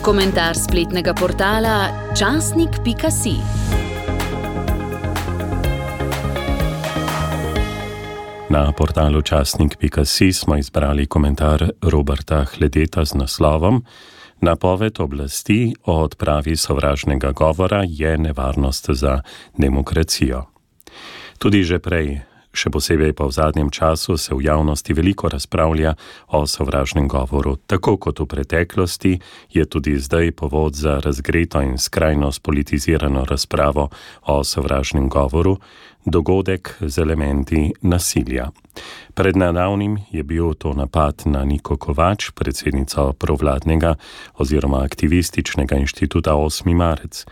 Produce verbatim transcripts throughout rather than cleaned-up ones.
Komentar spletnega portala časnik pika si. Na portalu časnik pika si smo izbrali komentar Roberta Hledeta z naslovom Napoved oblasti o odpravi sovražnega govora je nevarnost za demokracijo. Tudi že prej, še posebej pa v zadnjem času, se v javnosti veliko razpravlja o sovražnem govoru. Tako kot v preteklosti je tudi zdaj povod za razgreto in skrajno spolitizirano razpravo o sovražnem govoru dogodek z elementi nasilja. Pred nedavnim je bil to napad na Niko Kovač, predsednico provladnega oziroma aktivističnega inštituta osmi marec.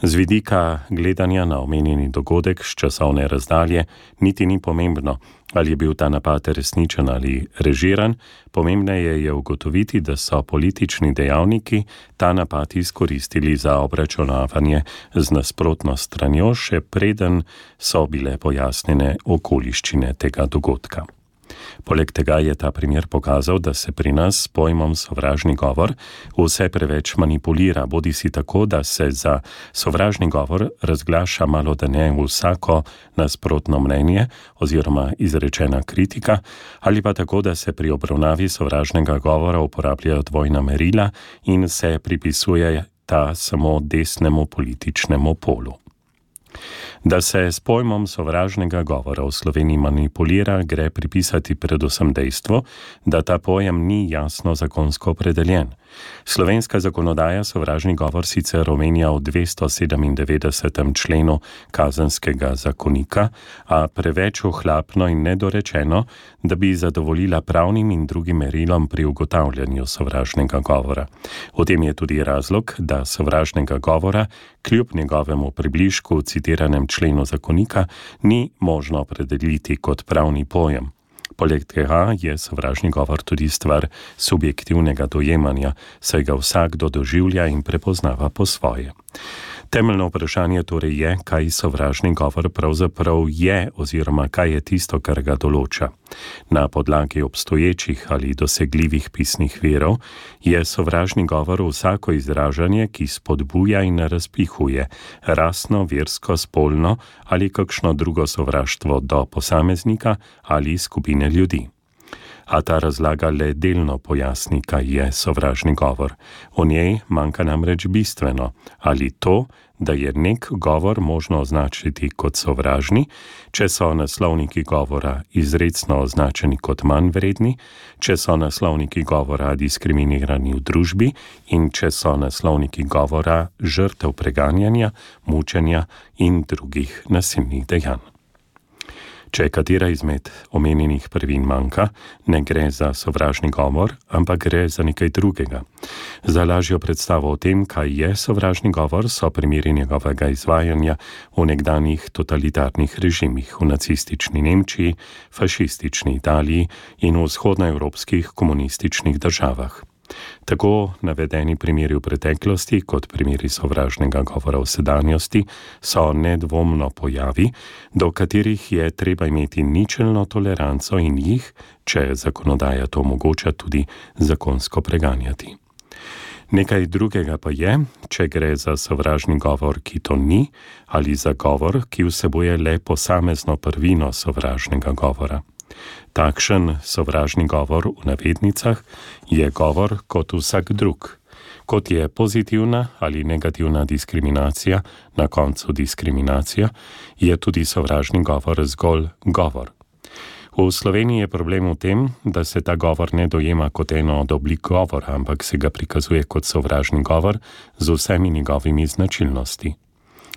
Z vidika gledanja na omenjeni dogodek s časovne razdalje niti ni pomembno, ali je bil ta napad resničen ali režiran, pomembneje je ugotoviti, da so politični dejavniki ta napad izkoristili za obračunavanje z nasprotno stranjo, še preden so bile pojasnjene okoliščine tega dogodka. Poleg tega je ta primer pokazal, da se pri nas s pojmom sovražni govor vse preveč manipulira, bodi si tako, da se za sovražni govor razglaša malo da ne vsako nasprotno mnenje oziroma izrečena kritika, ali pa tako, da se pri obravnavi sovražnega govora uporabljajo dvojna merila in se pripisuje ta samo desnemu političnemu polu. Da se s pojmom sovražnega govora v Sloveniji manipulira, gre pripisati predvsem dejstvo, da ta pojem ni jasno zakonsko opredeljen. Slovenska zakonodaja sovražni govor sicer omenja v dvesto sedemindevetdesetem členu Kazenskega zakonika, a preveč ohlapno in nedorečeno, da bi zadovoljila pravnim in drugim merilom pri ugotavljanju sovražnega govora. V tem je tudi razlog, da sovražnega govora kljub njegovemu približku v citiranem členu zakonika ni možno opredeliti kot pravni pojem. Poleg tega je sovražni govor tudi stvar subjektivnega dojemanja, saj ga vsakdo doživlja in prepoznava po svoje. Temeljno vprašanje torej je, kaj sovražni govor pravzaprav je oziroma kaj je tisto, kar ga določa. Na podlagi obstoječih ali dosegljivih pisnih virov je sovražni govor vsako izražanje, ki spodbuja in razpihuje rasno, versko, spolno ali kakšno drugo sovraštvo do posameznika ali skupine ljudi. A ta razlaga le delno pojasni, kaj je sovražni govor. V njej manjka namreč bistveno, ali to, da je nek govor možno označiti kot sovražni, če so naslovniki govora izrecno označeni kot manj vredni, če so naslovniki govora diskriminirani v družbi in če so naslovniki govora žrtev preganjanja, mučenja in drugih nasilnih dejanj. Če katera izmed omenjenih prvin manjka, ne gre za sovražni govor, ampak gre za nekaj drugega. Za lažjo predstavo o tem, kaj je sovražni govor, so primeri njegovega izvajanja v nekdanjih totalitarnih režimih v nacistični Nemčiji, fašistični Italiji in v vzhodnoevropskih komunističnih državah. Tako navedeni primeri v preteklosti kot primeri sovražnega govora v sedanjosti so nedvomno pojavi, do katerih je treba imeti ničelno toleranco in jih, če zakonodaja to omogoča, tudi zakonsko preganjati. Nekaj drugega pa je, če gre za sovražni govor, ki to ni, ali za govor, ki vsebuje le posamezno prvino sovražnega govora. Takšen sovražni govor v navednicah je govor kot vsak drug. Kot je pozitivna ali negativna diskriminacija, na koncu diskriminacija, je tudi sovražni govor zgolj govor. V Sloveniji je problem v tem, da se ta govor ne dojema kot eno od oblik govora, ampak se ga prikazuje kot sovražni govor z vsemi njegovimi značilnosti.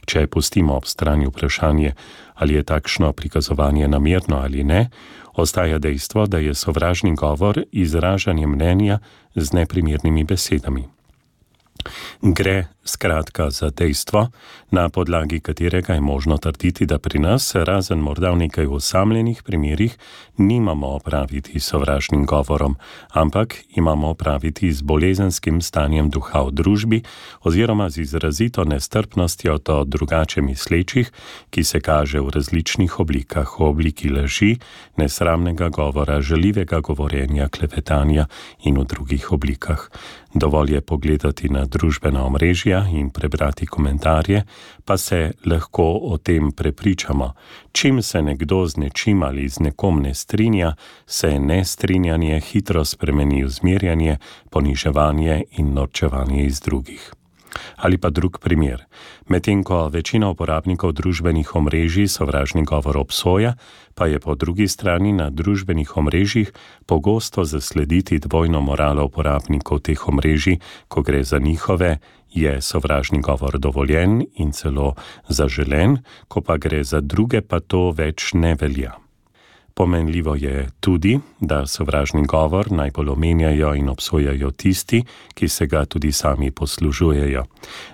Če pustimo ob strani vprašanje, ali je takšno prikazovanje namerno ali ne, ostaja dejstvo, da je sovražni govor izražanje mnenja z neprimernimi besedami. Gre Skratka, za dejstvo, na podlagi katerega je možno trditi, da pri nas, razen morda v nekaj osamljenih primerih, nimamo opraviti s sovražnim govorom, ampak imamo opraviti z bolezenskim stanjem duha v družbi oziroma z izrazito nestrpnostjo do drugače mislečih, ki se kaže v različnih oblikah, v obliki laži, nesramnega govora, žaljivega govorjenja, klevetanja in v drugih oblikah. Dovolj je pogledati na družbena omrežja in prebrati komentarje, pa se lahko o tem prepričamo. Čim se nekdo z nečim ali z nekom ne strinja, se nestrinjanje hitro spremeni v zmerjanje, poniževanje in norčevanje iz drugih. Ali pa drug primer. Medtem ko večina uporabnikov družbenih omrežij sovražni govor obsoja, pa je po drugi strani na družbenih omrežjih pogosto zaslediti dvojno moralo uporabnikov teh omrežij, ko gre za njihove, je sovražni govor dovoljen in celo zaželen, ko pa gre za druge, pa to več ne velja. Pomenljivo je tudi, da sovražni govor najbolj omenjajo in obsojajo tisti, ki se ga tudi sami poslužujejo.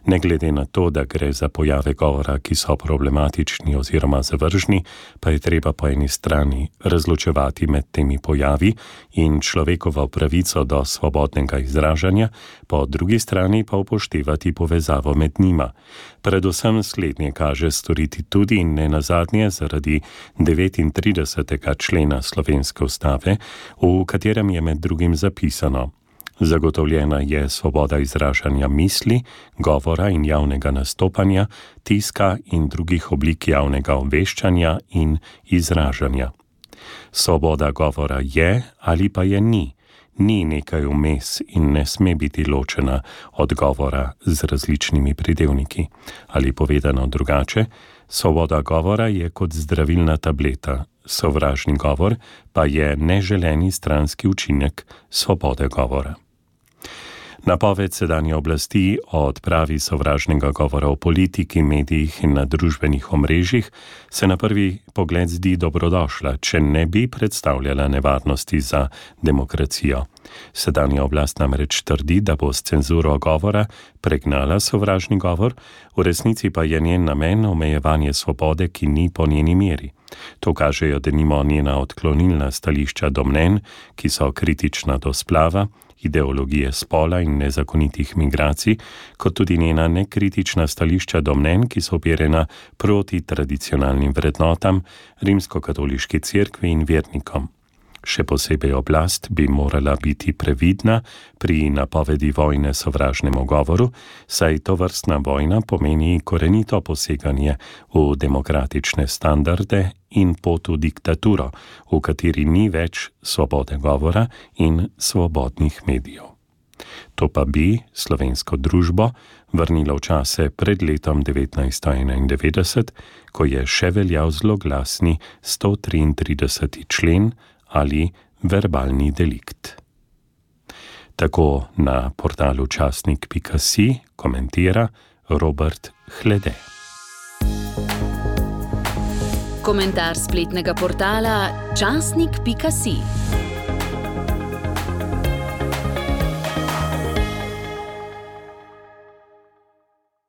Ne glede na to, da gre za pojave govora, ki so problematični oziroma zavržni, pa je treba po eni strani razločevati med temi pojavi in človekovo pravico do svobodnega izražanja, po drugi strani pa upoštevati povezavo med njima. Predvsem slednje kaže storiti tudi in ne nazadnje zaradi devetintridesetega člena slovenske ustave, v katerem je med drugim zapisano: zagotovljena je svoboda izražanja misli, govora in javnega nastopanja, tiska in drugih oblik javnega obveščanja in izražanja. Svoboda govora je ali pa je ni. Ni nekaj vmes in ne sme biti ločena od govora z različnimi pridevniki. Ali povedano drugače, svoboda govora je kot zdravilna tableta, sovražni govor pa je neželeni stranski učinek svobode govora. Napoved sedanje oblasti o odpravi sovražnega govora v politiki, medijih in na družbenih omrežjih se na prvi pogled zdi dobrodošla, če ne bi predstavljala nevarnosti za demokracijo. Sedanja oblast namreč trdi, da bo s cenzuro govora pregnala sovražni govor, v resnici pa je njen namen omejevanje svobode, ki ni po njeni meri. To kažejo denimo njena odklonilna stališča do mnenj, ki so kritična do splava, ideologije spola in nezakonitih migracij, kot tudi njena nekritična stališča do mnenj, ki so uperjena proti tradicionalnim vrednotam, rimskokatoliški cerkvi in vernikom. Še posebej oblast bi morala biti previdna pri napovedi vojne sovražnemu govoru, saj tovrstna vojna pomeni korenito poseganje v demokratične standarde in pot v diktaturo, v kateri ni več svobode govora in svobodnih medijev. To pa bi slovensko družbo vrnilo v čase pred letom devetnajststo enaindevetdeset, ko je še veljal zloglasni sto triintrideseti člen ali verbalni delikt. Tako na portalu časnik pika si komentira Robert Hlede. Komentar spletnega portala časnik pika si.